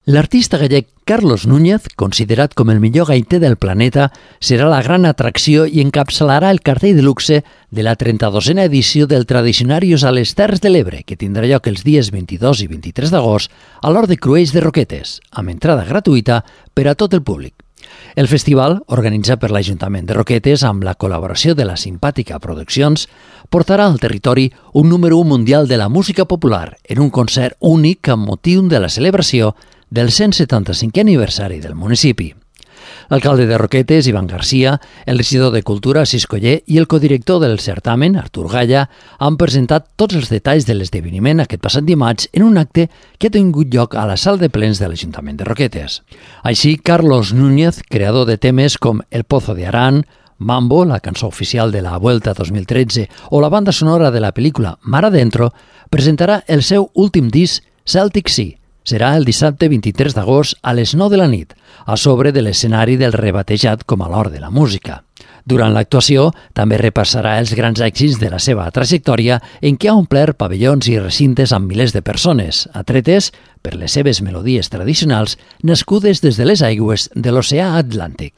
L'artista gallec Carlos Núñez, considerat com el millor gaiter del planeta, serà la gran atracció i encapçalarà el cartell de luxe de la 32a edició del Tradicionarius a les Terres de l'Ebre, que tindrà lloc els dies 22 i 23 d'agost a l'Hort de Cruells de Roquetes, amb entrada gratuïta per a tot el públic. El festival, organitzat per l'Ajuntament de Roquetes amb la col·laboració de la Simpàtica Produccions, portarà al territori un número 1 mundial de la música popular en un concert únic amb motiu de la celebració del 175è aniversari del municipi. L'alcalde de Roquetes, Ivan Garcia, el regidor de Cultura, Cis Coller, i el codirector del certamen, Artur Galla, han presentat tots els detalls de l'esdeveniment aquest passat dimarts en un acte que ha tingut lloc a la sala de plens de l'Ajuntament de Roquetes. Així, Carlos Núñez, creador de temes com El Pozo de Arán, Mambo, la cançó oficial de la Vuelta 2013, o la banda sonora de la pel·lícula Mar Adentro, presentarà el seu últim disc, Celtic Sea. Serà el dissabte 23 d'agost a les 9 de la nit, a sobre de l'escenari del rebatejat com a l'Hort de la Música. Durant l'actuació, també repassarà els grans èxits de la seva trajectòria en què ha omplert pavellons i recintes amb milers de persones, atretes per les seves melodies tradicionals nascudes des de les aigües de l'oceà Atlàntic.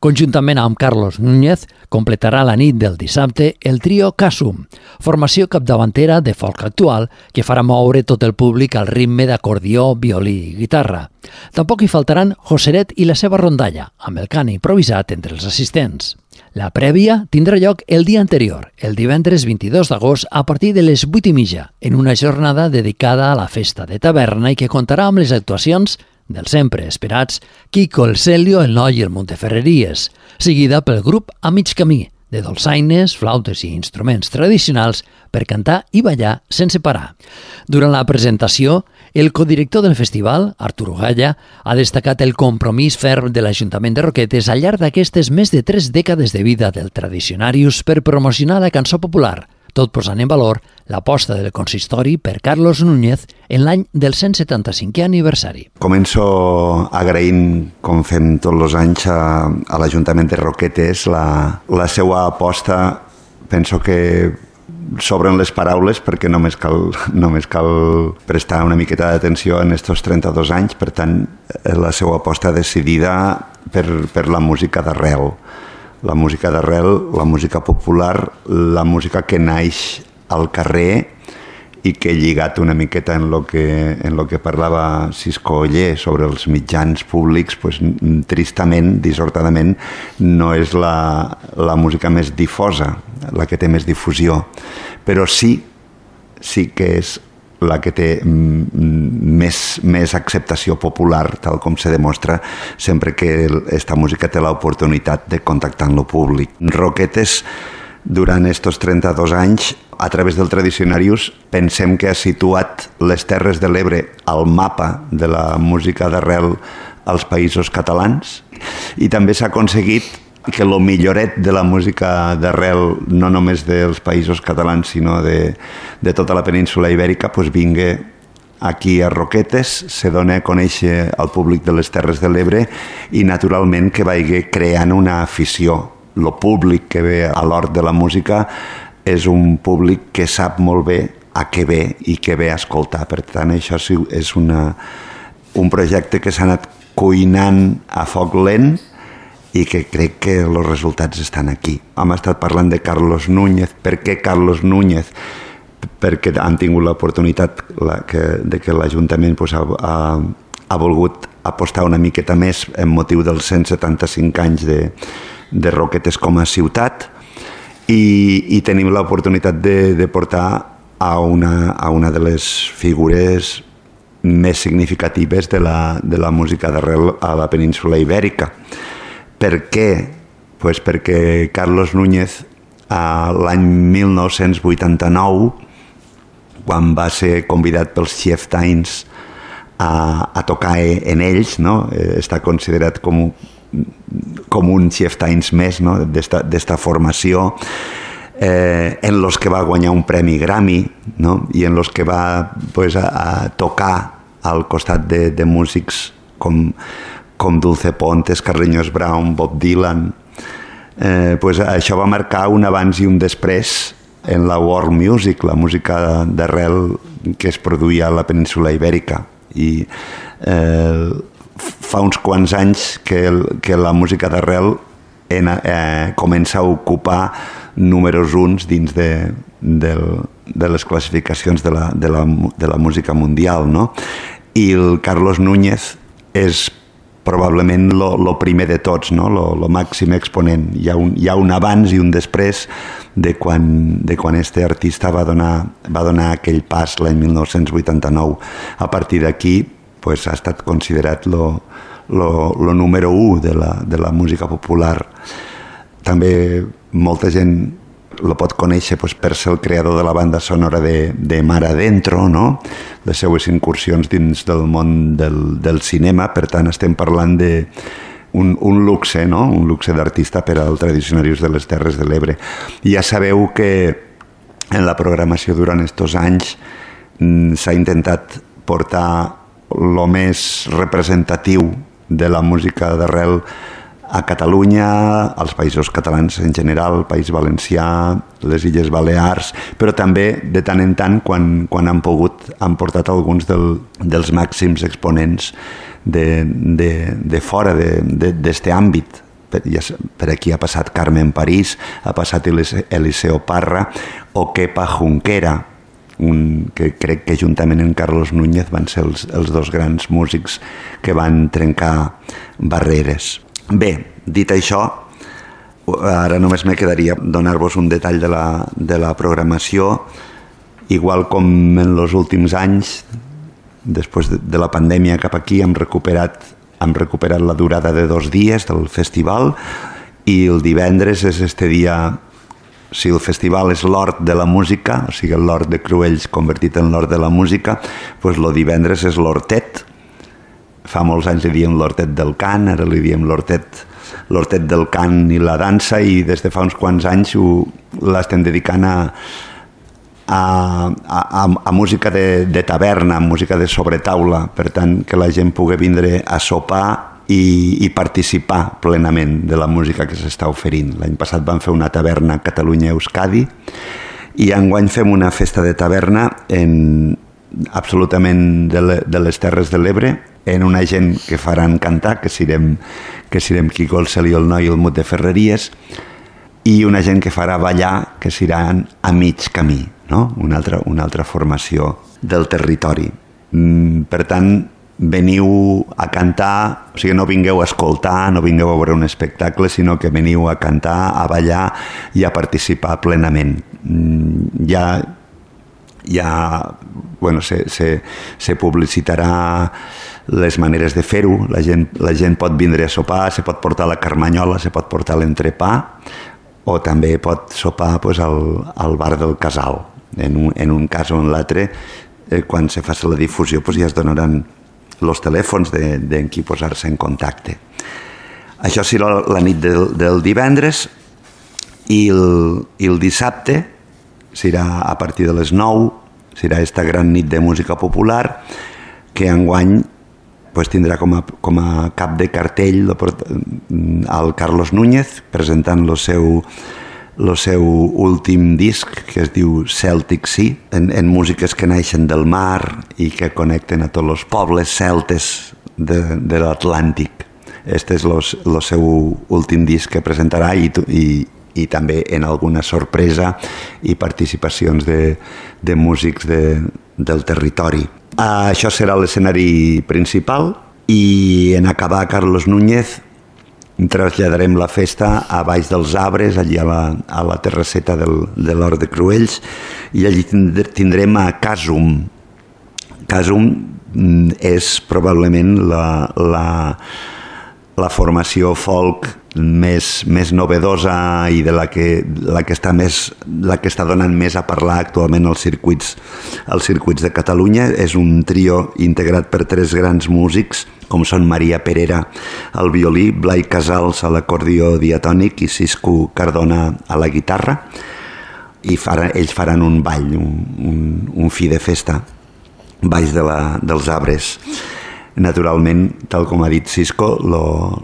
Conjuntament amb Carlos Núñez, completarà la nit del dissabte el trio Casum, formació capdavantera de folk actual que farà moure tot el públic al ritme d'acordió, violí i guitarra. Tampoc hi faltaran Joseret i la seva rondalla, amb el cant improvisat entre els assistents. La prèvia tindrà lloc el dia anterior, el divendres 22 d'agost, a partir de les 8:30, en una jornada dedicada a la festa de taverna i que comptarà amb les actuacions dels sempre esperats Quico, el Celio, el Noi i el Monteferreries, seguida pel grup A Mig Camí, de dolçaines, flautes i instruments tradicionals per cantar i ballar sense parar. Durant la presentació, el codirector del festival, Artur Galla, ha destacat el compromís ferm de l'Ajuntament de Roquetes al llarg d'aquestes més de 3 dècades de vida del Tradicionarius per promocionar la cançó popular, tot posant en valor l'aposta del consistori per Carlos Núñez en l'any del 175è aniversari. Començo agraint, com fem tots els anys, a l'Ajuntament de Roquetes la seva aposta. Penso que sobren les paraules perquè només cal prestar una miqueta d'atenció en aquests 32 anys. Per tant, la seva aposta decidida per la música d'arrel. La música d'arrel, la música popular, la música que naix al carrer i que lligat una miqueta en lo que parlava Cis Coller sobre els mitjans públics, pues, tristament, dissortadament, no és la música més difosa, la que té més difusió, però sí que és la que té més acceptació popular, tal com se demostra sempre que esta música té l'oportunitat de contactar amb el públic. Roquetes, durant aquests 32 anys, a través del Tradicionarius, pensem que ha situat les Terres de l'Ebre al mapa de la música d'arrel als països catalans i també s'ha aconseguit que el milloret de la música d'arrel, no només dels països catalans, sinó de tota la península ibèrica, pues vingui aquí a Roquetes, se dona a conèixer al públic de les Terres de l'Ebre i, naturalment, que vagi creant una afició. El públic que ve a l'Hort de la Música és un públic que sap molt bé a què ve i què ve a escoltar. Per tant, això és un projecte que s'ha anat cuinant a foc lent i que crec que els resultats estan aquí. Hem estat parlant de Carlos Núñez. Per què Carlos Núñez? Perquè han tingut l'oportunitat de que l'Ajuntament ha volgut apostar una miqueta més en motiu dels 175 anys de Roquetes com a ciutat i tenim l'oportunitat de portar a una de les figures més significatives de la música d'arrel a la península ibèrica. Per què? Pues perquè Carlos Núñez, l'any 1989, quan va ser convidat pels Chieftains a tocar en ells, no? Està considerat com un Chieftains més, no? d'esta formació, en los que va guanyar un premi Grammy, no? I en los que va a tocar al costat de músics com Dulce Pontes, Carreños Brown, Bob Dylan. Això va marcar un abans i un després en la world music, la música d'arrel que es produïa a la península ibèrica. I fa uns quants anys que la música d'arrel comença a ocupar números uns dins de les classificacions de la música mundial, no? I el Carlos Núñez és probablement lo primer de tots, no? Lo màxim exponent. Hi ha un abans i un després de quan este artista va donar aquell pas l'any 1989. A partir d'aquí pues, ha estat considerat lo número 1 de la música popular. També molta gent lo pot conèixer pues, per ser el creador de la banda sonora de Mar Adentro, no? Les seues incursions dins del món del cinema. Per tant, estem parlant d'un luxe, no? Un luxe d'artista per als tradicionaris de les Terres de l'Ebre. I ja sabeu que en la programació durant estos anys s'ha intentat portar lo més representatiu de la música d'arrel a Catalunya, als països catalans en general, el País Valencià, les Illes Balears, però també de tant en tant, quan han pogut, han portat alguns dels màxims exponents de fora d'este àmbit. Per aquí ha passat Carmen París, ha passat Eliseo Parra o Kepa Junquera, que crec que juntament amb Carlos Núñez van ser els dos grans músics que van trencar barreres. Bé, dit això, ara només me quedaria donar-vos un detall de la programació. Igual com en els últims anys, després de la pandèmia cap aquí, hem recuperat la durada de 2 dies del festival i el divendres és este dia. Si el festival és l'hort de la música, o sigui, l'hort de Cruells convertit en l'hort de la música, doncs el divendres és l'hortet. Fa molts anys li diem l'hortet del cant, ara li diem l'hortet del cant i la dansa, i des de fa uns quants anys l'estem dedicant a música de taverna, música de sobretaula, per tant, que la gent pugui vindre a sopar i participar plenament de la música que s'està oferint. L'any passat vam fer una taverna a Catalunya-Euskadi i enguany fem una festa de taverna absolutament de les Terres de l'Ebre, en una gent que faran cantar, que serem Quico, el Celio, el Noi i el Mut de Ferreries, i una gent que farà ballar, que seran a mig camí, no? Una altra formació del territori. Per tant, veniu a cantar, o sigui, no vingueu a escoltar, no vingueu a veure un espectacle, sinó que veniu a cantar, a ballar i a participar plenament. Se publicitarà les maneres de fer-ho, la gent pot vindre a sopar, se pot portar la carmanyola, se pot portar l'entrepà, o també pot sopar al bar del Casal. En un cas o en l'altre, quan se faci la difusió, ja es donaran els telèfons d'en qui posar-se en contacte. Això serà la nit del divendres, i el dissabte serà a partir de les 9, serà esta gran nit de música popular, que enguany tindrà com a cap de cartell el Carlos Núñez, presentant el seu últim disc, que es diu Celtic Sea, en músiques que naixen del mar i que connecten a tots els pobles celtes de l'Atlàntic. Este és el seu últim disc que presentarà, i també en alguna sorpresa i participacions de músics del territori. Això serà l'escenari principal, i en acabar Carlos Núñez traslladarem la festa a baix dels arbres, allí a la terrasseta de l'Hort de Cruells, i allí tindrem a Casum. Casum és probablement la formació folk més novedosa i de la que està donant més a parlar actualment als circuits de Catalunya. És un trio integrat per 3 grans músics, com són Maria Perera al violí, Blai Casals a l'acordió diatònic i Cisco Cardona a la guitarra, i ells faran un ball, un fi de festa baix dels arbres. Naturalment, tal com ha dit Cisco,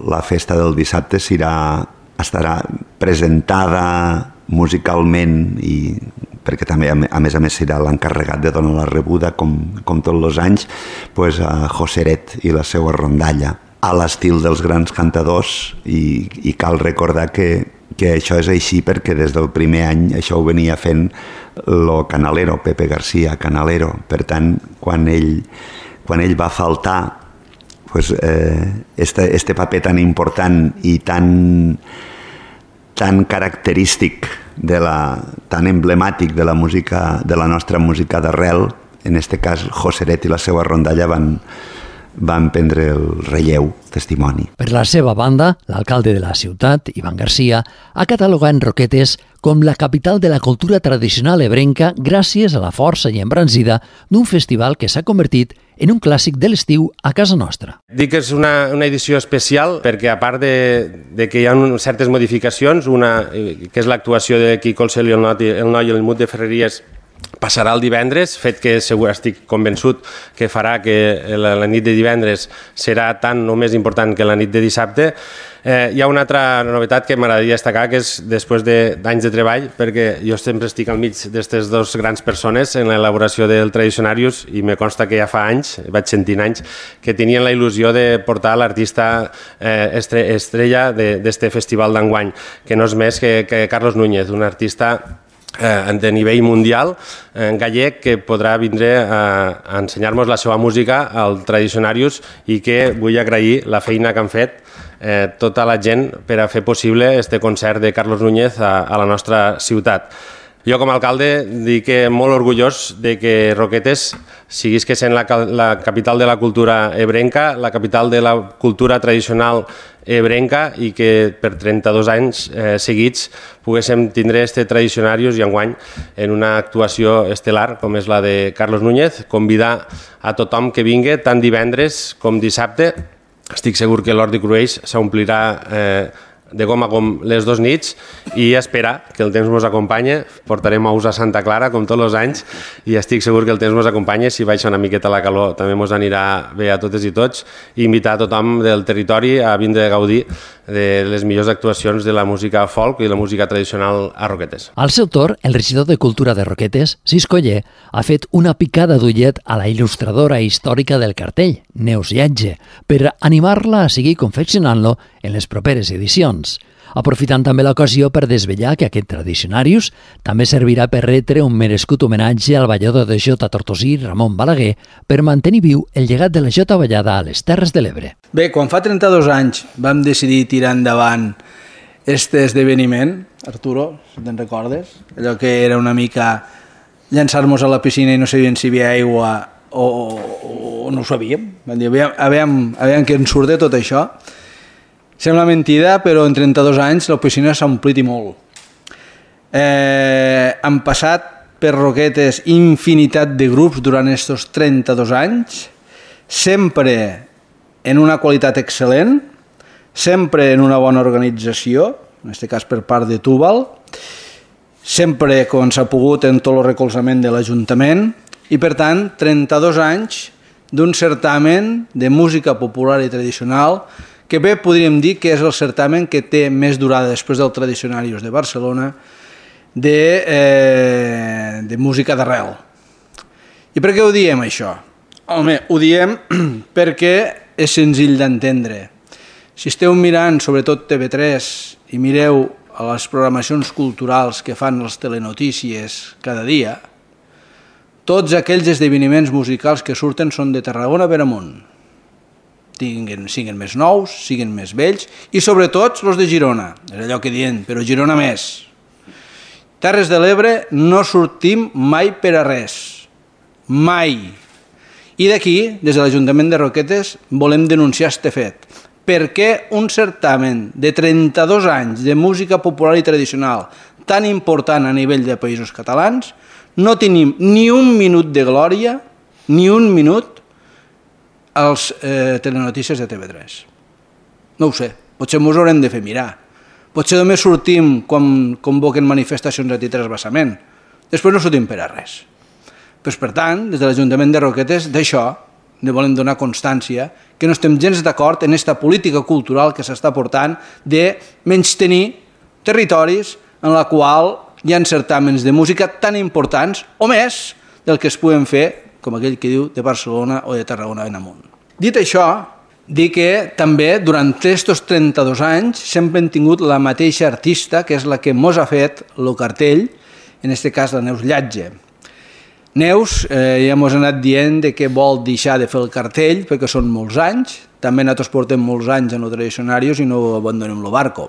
la festa del dissabte estarà presentada musicalment i perquè també a més serà l'encarregat de donar la rebuda com tots els anys, pues, a Joseret i la seva rondalla a l'estil dels grans cantadors, i cal recordar que això és així perquè des del primer any això ho venia fent lo Canalero, Pepe García Canalero. Per tant, quan ell va faltar, pues, este paper tan important i tan característic, tan emblemàtic de la música, de la nostra música d'arrel, en este cas Joseret i la seva rondalla van prendre el relleu, testimoni. Per la seva banda, l'alcalde de la ciutat, Ivan García, ha catalogat Roquetes com la capital de la cultura tradicional ebrenca gràcies a la força i embranzida d'un festival que s'ha convertit en un clàssic de l'estiu a casa nostra. Dic que és una edició especial perquè, a part de que hi ha certes modificacions, una que és l'actuació de Quico el Cel i el Noi i el Mut de Ferreries, passarà el divendres, fet que segur estic convençut que farà que la nit de divendres serà tan o més important que la nit de dissabte. Hi ha una altra novetat que m'agradaria destacar, que és després d'anys de treball, perquè jo sempre estic al mig d'aquestes dues grans persones en l'elaboració del Tradicionarius, i me consta que ja fa anys, vaig sentint anys, que tenien la il·lusió de portar l'artista estrella d'este festival d'enguany, que no és més que Carlos Núñez, un artista de nivell mundial, gallec, que podrà vindre a ensenyar-nos la seva música al Tradicionarius, i que vull agrair la feina que han fet tota la gent per a fer possible este concert de Carlos Núñez a la nostra ciutat. Jo, com a alcalde, dic que molt orgullós de que Roquetes siguis que sent la capital de la cultura ebrenca, la capital de la cultura tradicional ebrenca, i que per 32 anys seguits poguéssim tindre este Tradicionarius, i enguany en una actuació estel·lar com és la de Carlos Núñez, convidar a tothom que vingui tant divendres com dissabte. Estic segur que l'Hort de Cruells s'omplirà de gom a gom les dues nits, i esperar que el temps ens acompanya. Portarem ous a Santa Clara com tots els anys, i estic segur que el temps ens acompanya. Si baixa una miqueta la calor també ens anirà bé a totes i tots, i invitar a tothom del territori a vindre a gaudir de les millors actuacions de la música folk i la música tradicional a Roquetes. Al seu torn, el regidor de Cultura de Roquetes, Siscoller, ha fet una picada d'ullet a la il·lustradora històrica del cartell, Neus Lletge, per animar-la a seguir confeccionant-lo en les properes edicions. Aprofitant també l'ocasió per desvetllar que aquest Tradicionarius també servirà per retre un merescut homenatge al ballador de jota tortosí Ramon Balaguer, per mantenir viu el llegat de la jota ballada a les Terres de l'Ebre. Bé, quan fa 32 anys vam decidir tirar endavant aquest esdeveniment, Arturo, si te'n recordes, allò que era una mica llançar-nos a la piscina i no sabíem si hi havia aigua o no ho sabíem. Vam dir, aviam que ens surt de tot això. Sembla mentida, però en 32 anys la piscina s'ha omplit i molt. Han passat per Roquetes infinitat de grups durant aquests 32 anys, sempre en una qualitat excel·lent, sempre en una bona organització, en aquest cas per part de Túbal, sempre quan s'ha pogut en tot el recolzament de l'Ajuntament, i per tant 32 anys d'un certamen de música popular i tradicional que bé podríem dir que és el certamen que té més durada després del Tradicionarius de Barcelona de música d'arrel. I per què ho diem això? Home, ho diem perquè és senzill d'entendre. Si esteu mirant sobretot TV3 i mireu a les programacions culturals que fan les telenotícies cada dia, tots aquells esdeveniments musicals que surten són de Tarragona per amunt. Siguin més nous, siguin més vells, i sobretot els de Girona, és allò que diem, però Girona més. Terres de l'Ebre no sortim mai per a res, mai. I d'aquí, des de l'Ajuntament de Roquetes, volem denunciar este fet. Per què un certamen de 32 anys de música popular i tradicional tan important a nivell de països catalans no tenim ni un minut de glòria, ni un minut, als telenotícies de TV3. No ho sé, potser ens haurem de fer mirar. Potser només sortim quan convoquen manifestacions a transvasament. Després no sortim per a res. Pues, per tant, des de l'Ajuntament de Roquetes, d'això ne volem donar constància, que no estem gens d'acord en aquesta política cultural que s'està portant de menystenir territoris en la qual hi ha certàmens de música tan importants o més del que es puguen fer, com aquell que diu, de Barcelona o de Tarragona en amunt. Dit això, dir que també durant aquests 32 anys sempre hem tingut la mateixa artista, que és la que mos ha fet el cartell, en aquest cas la Neus Llatge. Neus ja mos ha anat dient que vol deixar de fer el cartell perquè són molts anys, també nosaltres portem molts anys en els tradicionaris i no abandonem el barco.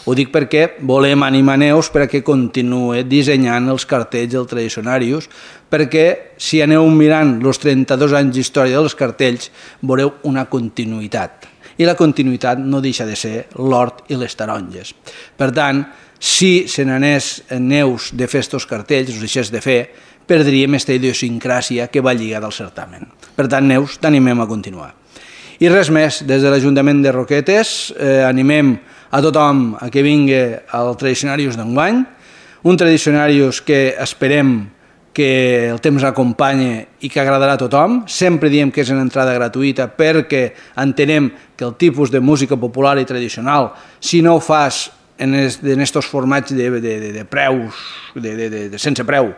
Ho dic perquè volem animar Neus perquè continuï dissenyant els cartells dels tradicionaris, perquè si aneu mirant els 32 anys d'història dels cartells veureu una continuïtat. I la continuïtat no deixa de ser l'hort i les taronges. Per tant, si se n'anés Neus de fer aquests cartells, els deixés de fer, perdríem aquesta idiosincràsia que va lligada al certamen. Per tant, Neus, t'animem a continuar. I res més, des de l'Ajuntament de Roquetes animem a tothom a que vingui al Tradicionarius d'enguany, un Tradicionarius que esperem que el temps acompanyi i que agradarà a tothom. Sempre diem que és una entrada gratuïta perquè entenem que el tipus de música popular i tradicional, si no ho fas en aquests formats de preus, sense preu,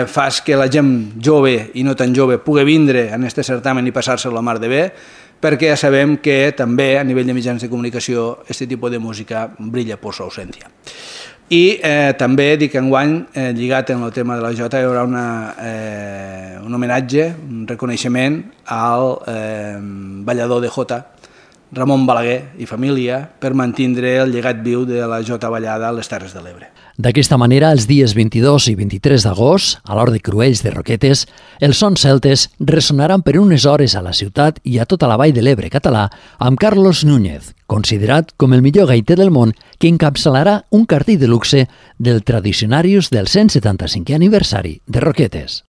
fas que la gent jove i no tan jove pugui vindre en aquest certamen i passar-se la mar de bé, perquè ja sabem que també a nivell de mitjans de comunicació aquest tipus de música brilla per sa ausència. I també dic que enguany, lligat en el tema de la jota, hi haurà un homenatge, un reconeixement al ballador de jota, Ramon Balaguer i família, per mantindre el llegat viu de la jota ballada a les Terres de l'Ebre. D'aquesta manera, els dies 22 i 23 d'agost, a l'Hort de Cruells de Roquetes, els sons celtes ressonaran per unes hores a la ciutat i a tota la vall de l'Ebre català amb Carlos Núñez, considerat com el millor gaiter del món, que encapçalarà un cartell de luxe del Tradicionarius del 175è aniversari de Roquetes.